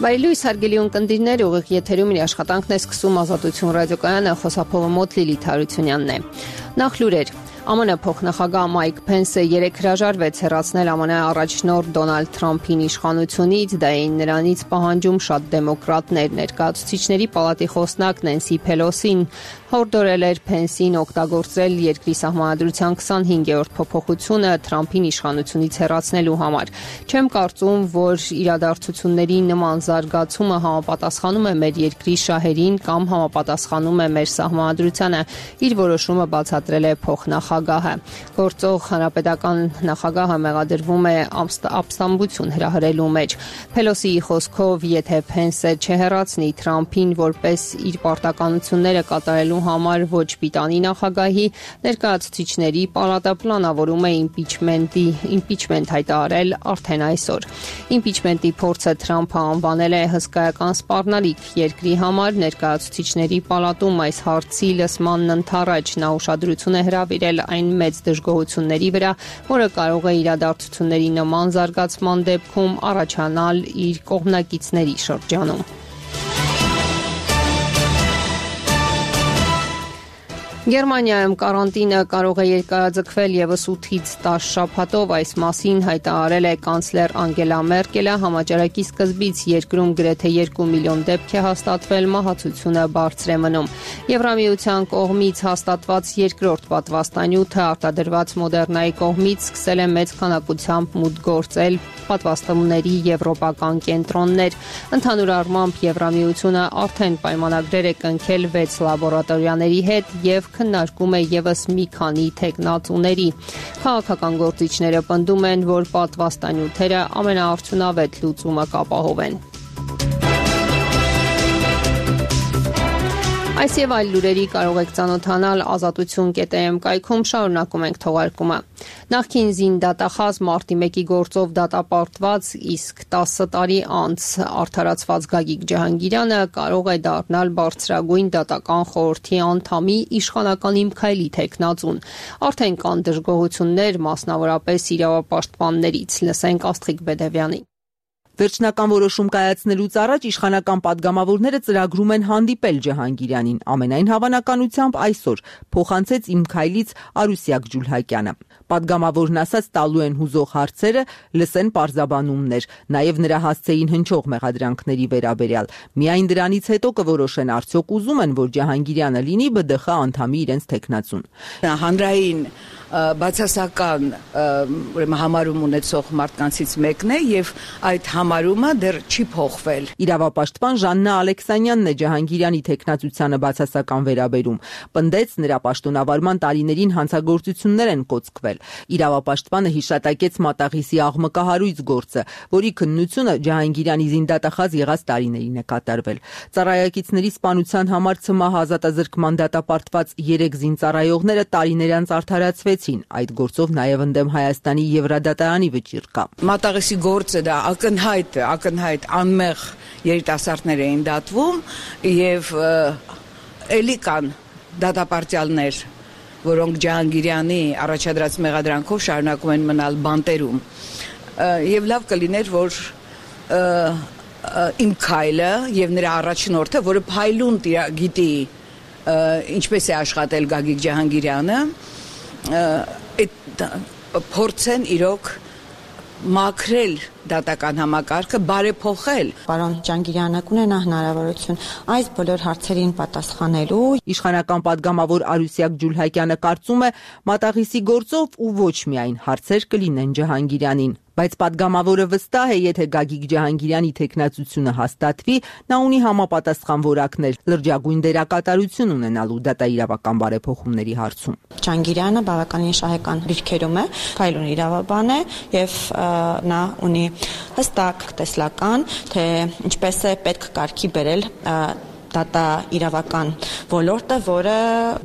Վայելույս հարգելի ունկնդիրներ, ուղիղ եթերում իր աշխատանքն է սկսում Ազատություն ռադիոկայանը, խոսափողը մոտ Լիլիթ Հարությունյանն է։ Նախ լուրեր։ ԱՄՆ փոխնախագահ Մայք Փենսը երեկ հրաժարվեց հեռացնել ԱՄՆ առաջնորդ Դոնալդ Թրամփին իշխանությունից, դա էին նրանից պահանջում շատ դեմոկրատներ։ Ներկայացուցիչների պալատի խոսնակ Նենսի Փելոսին հորդորել էր Փենսին օգտագործել երկրի սահմանադրության 25-րդ փոփոխությունը Թրամփին իշխանությունից հեռացնելու համար։ Չեմ կարծում, որ իրադարձությունների նման զարգացումը համապատասխանում է մեր երկրի շահերին կամ համապատասխանում է մեր սահմանադրությանը, իր որոշումը բացատրել է փոխնախագահը։ Գործող հանրապետական նախագահը մեղադրվում է ապստամբություն հրահրելու մեջ։ Փելոսիի խոսքով, եթե Փենսը չհեռացնի Թրամփին որպես իր պարտականությունները կատարելու համար ոչ պիտանի նախագահի, ներկայացուցիչների պալատը պլանավորում է իմպիչմենտ հայտարարել արդեն այսօր։ Իմպիչմենտի փորձը Թրամփը անվանել է հսկայական սպառնալիք երկրի համար, ներկայացուցիչների պալատում այս հարցի լսմանն ընդառաջ նա ուշադրություն է հրավիրել այն մեծ դժգոհությունների վրա, որը կարող է իրադարձությունների նման զարգացման դեպքում առաջանալ իր կողմնակիցների շրջանում։ Գերմանիայում կարանտինը կարող է երկարաձգվել եւս 8-ից 10 շաբաթով, այս մասին հայտարարել է կանցլեր Անգելա Մերկելը, համաճարակի սկզբից երկրում գրեթե 2 միլիոն դեպք է հաստատվել, մահացությունը բարձր է մնում։ Եվրամիության կողմից հաստատված երկրորդ պատվաստանյութը արտադրված Մոդեռնայի կողմից սկսել է մեծ քանակությամբ մուտք գործել պատվաստումների եվրոպական կենտրոններ։ Ընդհանուր առմամբ Եվրամիությունը արդեն պայմանագրեր է կնքել 6 լաբորատորիաների հետ եւ քննարկում է եւս մի քանի թեկնածուների։ Քաղաքական գործիչները պնդում են, որ պատվաստանյութերը ամենաարդյունավետ լուծումը կապահովեն։ Այս եւ այլ լուրերի կարող եք ծանոթանալ azatutun.am կայքում, շարունակում ենք թողարկումը։ Նախկին զին դատախազ մարտի 1-ի գործով դատապարտված, իսկ 10 տարի անց արդարացված Գագիկ Ջահանգիրյանը կարող է դառնալ բարձրագույն դատական խորհրդի անդամի իշխանական Իմքայլի թեկնածուն։ Արդեն կան դժգոհություններ, մասնավորապես իրավապաշտպաններից։ Լսենք Աստղիկ Բեդևյանին։ Վերջնական որոշում կայացնելուց առաջ իշխանական падգամավորները ծրագրում են հանդիպել Ջահանգիրյանին։ Ամենայն հավանականությամբ այսօր փոխանցեց Իմքայլից Արուսյակ Ջուլհակյանը։ Падգամավորն ասաց տալու են հուզող հարցերը, լսեն պարզաբանումներ, նաև նրա հասցեին հնչող մեղադրանքների վերաբերյալ։ Միայն դրանից հետո կորոշեն արդյոք ուզում են, որ Ջահանգիրյանը լինի ԲԴԽ անդամի իրենց թեկնածուն։ Հանրային բացասական համարում ունեցող մարդկանցից մեկն է եւ այդ համարումը դեռ չի փոխվել։ Իրավապաշտպան Ժաննա Ալեքսանյանն է Ջահանգիրյանի թեկնածությանը բացասական վերաբերում։ Պնդեց նրա պաշտոնավարման տարիներին հանցագործություններ են կոծկվել։ Իրավապաշտպանը հիշատակեց Մատաղիսի աղմկահարույց գործը, որի քննությունը Ջահանգիրյանի զինդատախազ եղած տարիներին է կատարվել։ Ծառայակիցների սպանության համար ՑՄՀ ազատազրկման դատապարտված 3 զինծառայողները տարիներ անց արդարացվեցին։ Այդ գործով նաև ընդդեմ Հայաստանի Եվրադատարանի վճիռ կա։ Մատաղիսի գործը դա ակնհայտ անմեղ երիտասարդներ էին դատվում եւ էլի կան դատապարտյալներ, որոնք Ջահանգիրյանի առաջադրած մեղադրանքով շարունակում են մնալ բանտերում։ Եվ լավ կլիներ, որ Իմքայլը եւ նրա առաջնորդը, որը փայլուն գիտի ինչպես է աշխատել Գագիկ Ջահանգիրյանը, փորձեն իրոք մաքրել դատական համակարգը, բարեփոխել։ Պարոն Ջահանգիրյանը կունենա հնարավորություն այս բոլոր հարցերին պատասխանելու։ Իշխանական падգամավոր Արուսյակ Ջուլհակյանը կարծում է Մատաղիսի գործով ու ոչ միայն հարցեր կլինեն Ջահանգիրյանին։ Բայց падգամավորը վստահ է, եթե Գագիկ Ջահանգիրյանի թեկնածությունը հաստատվի, նա ունի համապատասխան որակներ լրջագույն դերակատարություն ունենալու դատաիրավական բարեփոխումների հարցում։ Ջահանգիրյանը բավականին շահեկան դիրքերում է, փայլուն իրավաբան է եւ նա ունի հստակ տեսլական, թե ինչպես է պետք կարգի բերել դատա իրավական ոլորտը, որը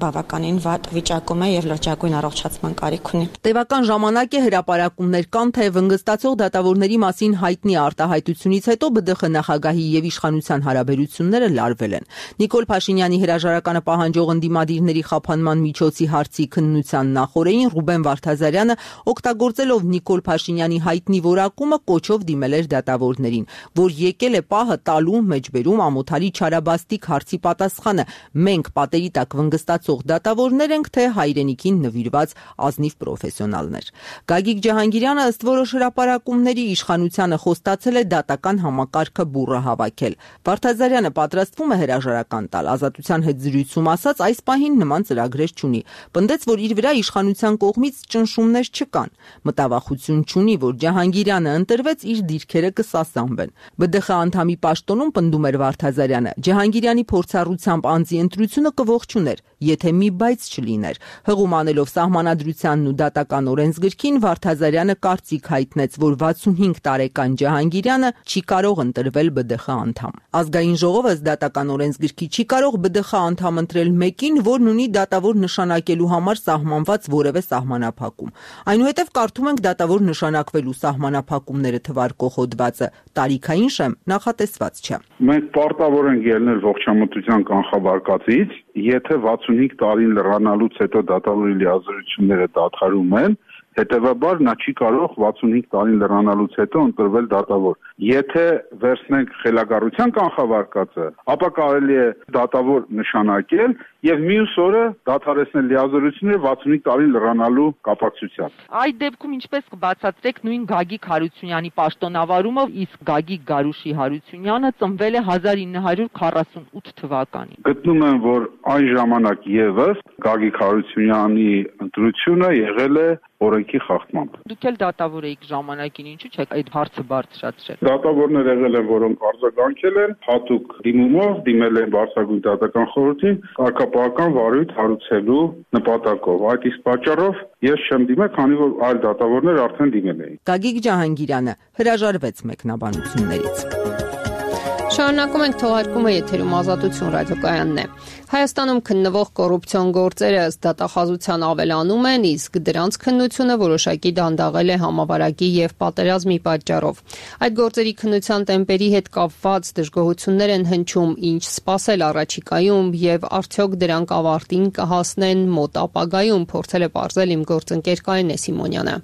բավականին վատ վիճակում է եւ լրջագույն առողջացման կարիք ունի։ Տևական ժամանակ է հրապարակումներ կան, թե վնգստացող դատավորների մասին հայտնի արտահայտությունից հետո ԲԴԽ նախագահի եւ իշխանության հարաբերությունները լարվել են։ Նիկոլ Փաշինյանի հրաժարականը պահանջող ընդդիմադիրների խափանման միջոցի հարցի քննության նախօրեին Ռուբեն Վարդազարյանը օգտագործելով Նիկոլ Փաշինյանի հայտնի որակումը կոչով դիմել էր դատավորներին, որ եկել է պահը տալու մեջբերում Ամոթալի Չարաբաստիկ հարցի պատասխանը։ Մենք պատերի տակ վնգստացող դատավորներ ենք, թե հայրենիքին նվիրված ազնիվ պրոֆեսիոնալներ։ Գագիկ Ջահանգիրյանը ըստ որոշ հրապարակումների իշխանությանը խոստացել է դատական համակարգը բուռը հավաքել։ Վարդազարյանը պատրաստվում է հրաժարական տալ, Ազատության հետ զրույցում ասաց, այս պահին նման ծրագրեր չունի։ Պնդեց, որ իր վրա իշխանության կողմից ճնշումներ չկան։ Մտավախություն չունի, որ Ջահանգիրյանը ընտրվեց, իր դիրքերը կսասանվեն։ ԲԴԽ անդամի պաշտոնում պնդում էր Վարդազարյանը, Ջահանգիրյանի փորձառությամբ անձի ընտրությունը կողջուներ, եթե մի բայց չլիներ։ Հղում անելով սահմանադրությանն ու դատական օրենսգրքին, Վարդազարյանը կարծիք հայտնեց, որ 65 տարեկան Ջահանգիրյանը չի կարող ընտրվել ԲԴԽ անդամ։ Ազգային ժողովը ըստ դատական օրենսգրքի չի կարող ԲԴԽ անդամ ընտրել մեկին, որն ունի դատավոր նշանակելու համար սահմանված որևէ սահմանափակում։ Այնուհետև կարդում ենք դատավոր նշանակվելու սահմանափակումները թվարկող հոդվածը, տարիքային շեմ նախատեսված չէ։ Մենք պարտավոր ենք ելնել ողջամտության կանխավարկածից, եթե 65 տարին լրանալուց հետո դատավորի լիազորությունները դադարում են, հետևաբար նա չի կարող 65 տարին լրանալուց հետո ընտրվել դատավոր։ Եթե վերցնենք խելագարության կանխավարկածը, ապա կարելի է դատավոր նշանակել եւ մյուս օրը դադարեցնել լիազորությունները 65 տարին լրանալու կապակցությամբ։ Այդ դեպքում ինչպես կբացատրեք նույն Գագիկ Հարությունյանի պաշտոնավարումը, իսկ Գագիկ Գարուշի Հարությունյանը ծնվել է 1948 թվականին։ Գտնում եմ, որ այն ժամանակ եւս Գագիկ Հարությունյանի ընտրությունը եղել է օրենքի խախտմամբ։ Դուք էլ դատավոր եք ժամանակին, ինչու՞ չեք այդ հարցը բարձրացրել։ Դատավորներ եղել են, որոնք արձագանքել են, հատուկ դիմումով դիմել են Բարձրագույն դատական խորհրդին կարգապահական վարույթ հարուցելու նպատակով։ Այդ իսկ պատճառով ես չեմ դիմել, քանի որ այլ դատավորներ արդեն դիմել էին։ Գագիկ Ջահանգիրյանը հրաժարվեց մեկնաբանություններից։ Շարունակում ենք թողարկումը, եթերում Ազատություն ռադիոկայանն է։ Հայաստանում քննվող կոռուպցիոն գործերը ըստ դատախազության ավելանում են, իսկ դրանց քննությունը որոշակի դանդաղել է համավարակի եւ պատերազմի պատճառով։ Այդ գործերի քննության տեմպերի հետ կապված դժգոհություններ են հնչում, ինչ սպասել առաջիկայում եւ արդյոք դրանք ավարտին կհասնեն մոտ ապագայում, փորձել է պարզել իմ գործընկեր Կարինե Սիմոնյանը։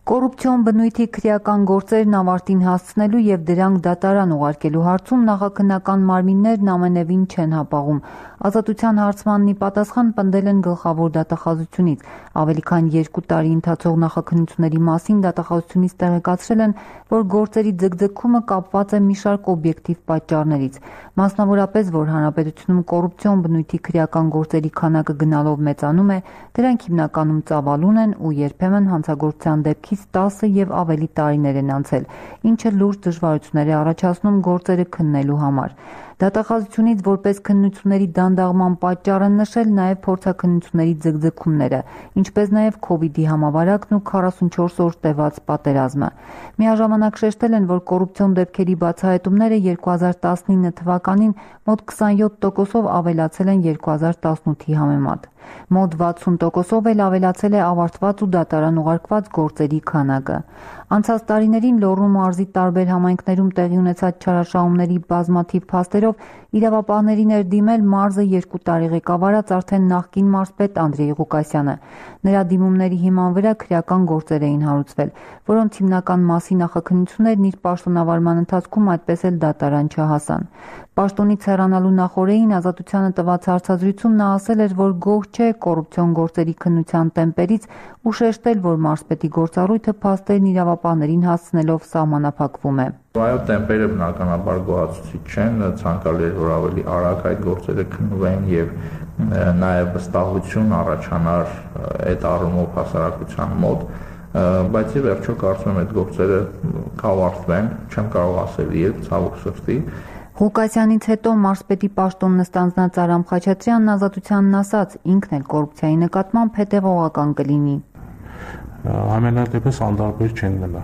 Կոռուպցիոն բնույթի քրեական գործերն ավարտին հասցնելու եւ դրանք դատարան ուղարկելու հարցում նախաքննական մարմիններն ամենևին չեն հապաղում։ Ազատության հարցմանն ի պատասխան պնդել են գլխավոր դատախազությունից։ Ավելի քան 2 տարի ընթացող նախաքննությունների մասին դատախազությունից տեղեկացրել են, որ գործերի ձգձգումը կապված է մի շարք օբյեկտիվ պատճառներից, մասնավորապես, որ հանրապետությունում կոռուպցիոն բնույթի քրեական գործերի քանակը գնալով մեծանում է, դրանք հիմնականում ծավալուն են ու երբեմն հանցագործության դեպքից 10 եւ ավելի տարիներ են անցել, ինչը լուրջ դժվարություններ է առաջացնում գործերը քննելու համար։ Դատախազությունից որպես քննությունների դանդաղման պատճառ են նշել նաև փորձաքննությունների ձգձգումները, ինչպես նաև COVID-ի համավարակն ու 44 օր տևած պատերազմը։ Միաժամանակ շեշտել են, որ կոռուպցիոն դեպքերի բացահայտումները 2019 թվականին մոտ 27%-ով ավելացել են 2018-ի համեմատ։ Մոտ 60%-ով էլ ավելացել է ավարտված ու դատարան ուղարկված գործերի քանակը։ Անցած տարիներին Լոռու մարզի տարբեր համայնքներում տեղի ունեցած չարաշահումների բազմաթիվ փաստերով իրավապահներին էր դիմել մարզը 2 տարի ղեկավարած արդեն նախկին մարզպետ Անդրեյ Ղուկասյանը։ Նրա դիմումների հիման վրա քրեական գործեր էին հարուցվել, որոնց հիմնական մասի նախաքննություններն իր պաշտոնավարման ընթացքում այդպես էլ դատարան չհասան։ Պաշտոնից հեռանալու նախօրեին Ազատությանը տված հարցազրույցում նա ասել էր, որ գոհ չէ կոռուպցիոն գործերի քննության տեմպերից ու շեշտել, որ մարզպետի գործառույթը փաստերն իրավապահներին հասցնելով սահմանափակվում է։ Այո, տեմպերը բնականաբար գոհացուցիչ չեն, ցանկալի էր, որ ավելի արագ այդ գործերը քննվեն եւ նաեւ վստահություն առաջանար այդ առումով հասարակության մոտ, բայց ի վերջո կարծում եմ այդ գործերը կավարտվեն, չեմ կարող ասել երբ, ցավոք սրտի։ Ղուկասյանից հետո մարզպետի պաշտոնն ստանձնած Արամ Խաչատրյանն Ազատությանն ասաց, ինքն էլ կոռուպցիայի նկատմամբ հետևողական կլինի։ Ամենատեպս անդարբեր չեն գնա։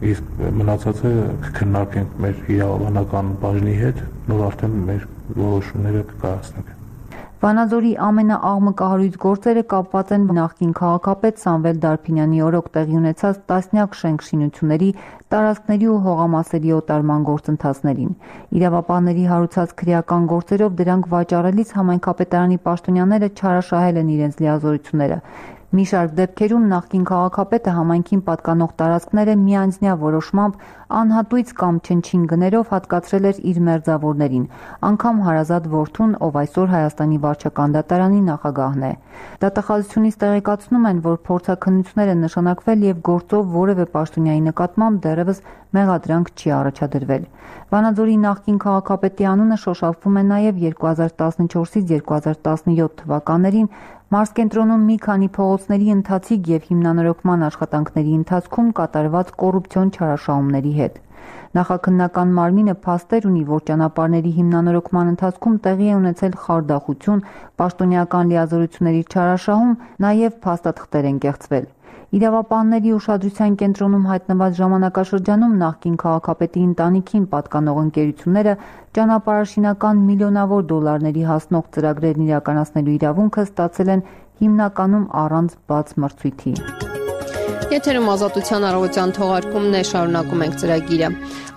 իսկ մնացածը կքննարկենք մեր իրավաբանական բաժնի հետ, նոր արդեն մեր որոշումները կկայացնենք։ Վանաձորի ամենաաղմկահարույց գործերը կապված են նախկին քաղաքապետ Սամվել Դարփինյանի օրոք տեղի ունեցած տասնյակ շենք-շինությունների, տարածքների ու հողամասերի օտարման գործընթացներին։ Իրավապահների հարուցած քրեական գործերով դրանք վաճառելիս համայնքապետարանի պաշտոնյաները չարաշահել են իրենց լիազորությունները։ Մի շարք դեպքերում նախկին քաղաքապետը համայնքին պատկանող տարածքները միանձնյա որոշմամբ անհատույց կամ չնչին գներով հատկացրել էր իր մերձավորներին, անգամ հարազատ որդուն, ով այսօր Հայաստանի վարչական դատարանի նախագահն է։ Դատախազությունից տեղեկացնում են, որ փորձաքննություններ են նշանակվել եւ գործով որևէ պաշտոնյայի նկատմամբ դեռևս մեղադրանք չի առաջադրվել։ Վանաձորի նախկին քաղաքապետի անունը շոշափվում է նաեւ 2014-ից 2017 թվականներին Մարզկենտրոնում մի քանի փողոցների ընթացիկ եւ հիմնանորոգման աշխատանքների ընթացքում կատարված կոռուպցիոն չարաշահումների հետ։ Նախաքննական մարմինը փաստեր ունի, որ ճանապարհների հիմնանորոգման ընթացքում տեղի է ունեցել խարդախություն, պաշտոնյական լիազորությունների չարաշահում, նաեւ փաստաթղթեր են կեղծվել։ Իրավապահների ուշադրության կենտրոնում հայտնված ժամանակաշրջանում նախկին քաղաքապետի ընտանիքին պատկանող ընկերությունները ճանապարհաշինական միլիոնավոր դոլարների հասնող ծրագրերն իրականացնելու իրավունքը ստացել են հիմնականում առանց բաց մրցույթի։ Եթերում ազատության առավոտյան թողարկումն է, շարունակում ենք ծրագիրը։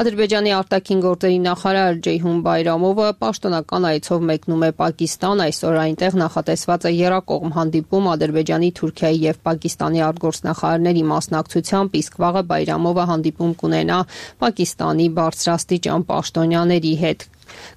Ադրբեջանի արտաքին գործերի նախարար Ջեյհուն Բայրամովը պաշտոնական այցով մեկնում է Պակիստան, այսօր այնտեղ նախատեսված է եռակողմ հանդիպում Ադրբեջանի, Թուրքիայի եւ Պակիստանի արտգործնախարարների մասնակցությամբ, իսկ վաղը Բայրամովը հանդիպում կունենա Պակիստանի բարձրաստիճան պաշտոնյաների հետ։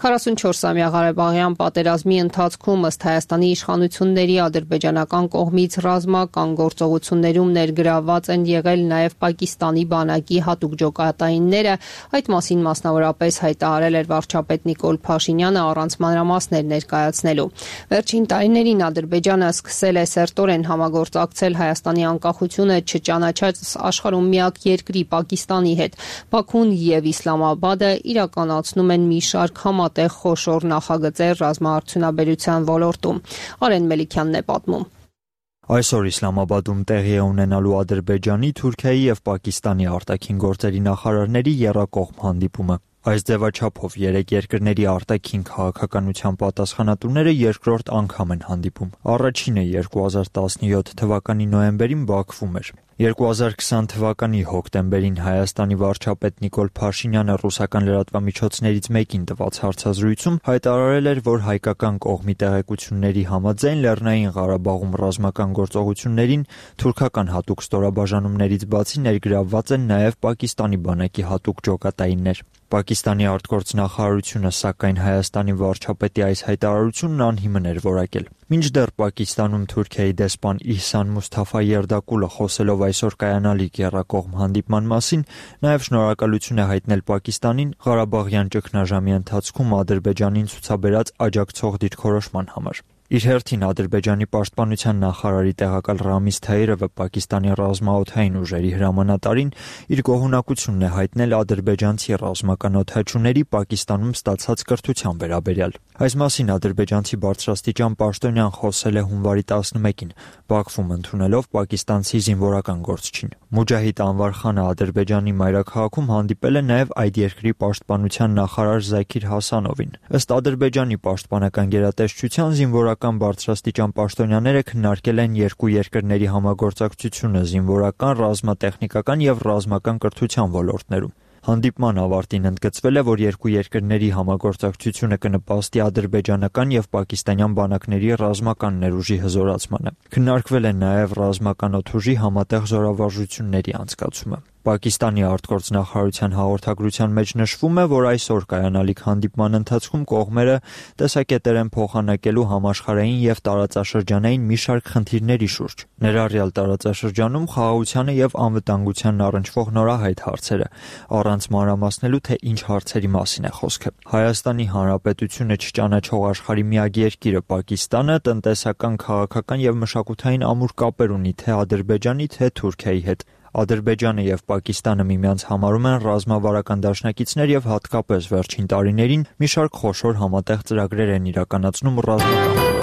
44-ամյա Ղարաբաղյան պատերազմի ընթացքում ըստ Հայաստանի իշխանությունների ադրբեջանական կողմից ռազմական գործողություններում ներգրավված են եղել նաև Պակիստանի բանակի հատուկ ջոկատայինները, այդ մասին մասնավորապես հայտարարել էր վարչապետ Նիկոլ Փաշինյանը առանց մանրամասներ ներկայացնելու։ Վերջին տարիներին Ադրբեջանը սկսել է սերտորեն համագործակցել Հայաստանի անկախությունը չճանաչած աշխարհում միակ երկրի Պակիստանի հետ։ Բաքուն եւ Իսլամաբադը իրականացնում են մի շարք համատեղ խոշոր նախագծեր ռազմաարդյունաբերության ոլորտում։ Արեն Մելիքյանն է պատմում։ Այսօր Իսլամաբադում տեղի է ունենալու Ադրբեջանի, Թուրքիայի եւ Պակիստանի արտաքին գործերի նախարարների եռակողմ հանդիպումը։ Այս ձևաչափով երեք երկրների արտաքին քաղաքականության պատասխանատուները երկրորդ անգամ են հանդիպում։ Առաջինը 2017 թվականի նոյեմբերին Բաքվում էր։ 2020 թվականի հոկտեմբերին Հայաստանի վարչապետ Նիկոլ Փաշինյանը ռուսական լրատվամիջոցներից մեկին տված հարցազրույցում հայտարարել էր, որ հայկական կողմի տեղեկությունների համաձայն Լեռնային Ղարաբաղում ռազմական գործողություններին թուրքական հատուկ ստորաբաժանումներից բացի ներգրավված են նաև Պակիստանի բանակի հատուկ ջոկատայիններ։ Պակիստանի արտգործնախարարությունը սակայն Հայաստանի վարչապետի այս հայտարարությունն անհիմն էր որակել։ Մինչդեռ Պակիստանում Թուրքիայի դեսպան Իհսան Մուսթաֆա Երդակուլը խոսելով այսօր կայանալիք եռակողմ հանդիպման մասին, նաև շնորհակալություն է հայտնել Պակիստանին Ղարաբաղյան ճգնաժամի ընթացքում Ադրբեջանին ցուցաբերած աջակցող դիրքորոշման համար։ Իր հերթին Ադրբեջանի պաշտպանության նախարարի տեղակալ Ռամիզ Թայիրովը Պակիստանի ռազմաօդային ուժերի հրամանատարին իր գոհունակությունն է հայտնել ադրբեջանցի ռազմական օդաչուների Պակիստանում ստացած կրթության վերաբերյալ։ Այս մասին ադրբեջանցի բարձրաստիճան պաշտոնյան խոսել է հունվարի 11-ին Բաքվում ընդունելով պակիստանցի զինվորական գործչին։ Մուջահիդ Անվար խանը Ադրբեջանի մայրաքաղաքում հանդիպել է նաև այդ երկրի պաշտպանության նախարար Զաքիր Հասանովին։ Ըստ Ադրբեջանի պաշտպանական գերատեսչության զինվորական բարձրաստիճան պաշտոնյաները քննարկել են երկու երկրների համագործակցությունը զինվորական, ռազմատեխնիկական եւ ռազմական կրթության ոլորտներում։ Հանդիպման ավարտին ընդգծվել է, որ երկու երկրների համագործակցությունը կնպաստի ադրբեջանական եւ պակիստանյան բանակների ռազմական ներուժի հզորացմանը։ Քննարկվել է նաեւ ռազմական օդուժի համատեղ զորավարժությունների անցկացումը։ Պակիստանի արտգործնախարարության հաղորդագրության մեջ նշվում է, որ այսօր կայանալիք հանդիպման ընթացքում կողմերը տեսակետեր են փոխանակելու համաշխարհային եւ տարածաշրջանային մի շարք խնդիրների շուրջ, ներառյալ տարածաշրջանում խաղաղությանը եւ անվտանգությանն առնչվող նորահայտ հարցերը, առանց մանրամասնելու, թե ինչ հարցերի մասին է խոսքը։ Հայաստանի Հանրապետությունը չճանաչող աշխարհի միակ երկիրը Պակիստանը տնտեսական, քաղաքական եւ մշակութային ամուր կապեր ունի թե Ադրբեջանի, թե Թուրքիայի հետ։ Ադրբեջանը եւ Պակիստանը միմյանց համարում են ռազմավարական դաշնակիցներ եւ հատկապես վերջին տարիներին մի շարք խոշոր համատեղ ծրագրեր են իրականացնում ռազմական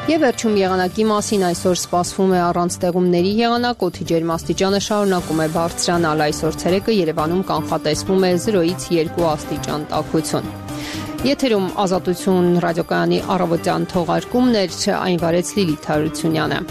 Եվ վերջում եղանակի մասին այսօր սպասվում է առանց տեղումների եղանակ, օդի ջերմաստիճանը շարունակում է բարձրանալ, այսօր ցերեկը Երևանում կանխատեսվում է 0-ից 2 աստիճան տաքություն։ Եթերում Ազատություն ռադիոկայանի առավոտյան թողարկումն էր, այն վարեց Լիլիթ Հարությունյանը։